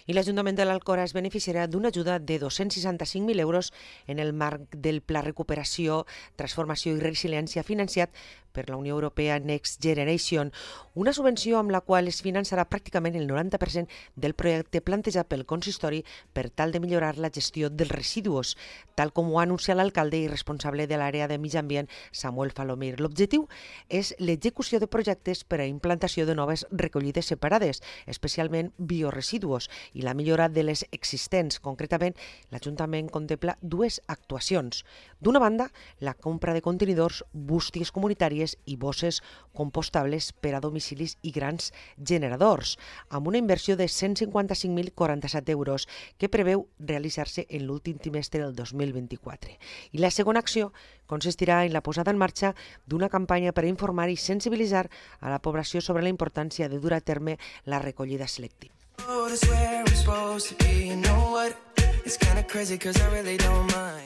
I l'Ajuntament de l'Alcora es beneficiarà d'una ajuda de 265.000 euros en el marc del Pla Recuperació, Transformació i Resiliència financiat per la Unió Europea Next Generation, una subvenció amb la qual es finançarà pràcticament el 90% del projecte plantejat pel consistori per tal de millorar la gestió dels residus, tal com ho ha anunciat l'alcalde i responsable de l'àrea de Mig Ambient, Samuel Falomir. L'objectiu és l'execució de projectes per a implantació de noves recollides separades, especialment bioresidus, i la millora de les existents. Concretament, l'Ajuntament contempla dues actuacions. D'una banda, la compra de contenidors, bústies comunitàries i bosses compostables per a domicilis i grans generadors, amb una inversió de 155.047 euros que preveu realitzar-se en l'últim trimestre del 2024. I la segona acció consistirà en la posada en marxa d'una campanya per a informar i sensibilitzar a la població sobre la importància de dur a terme la recollida selectiva.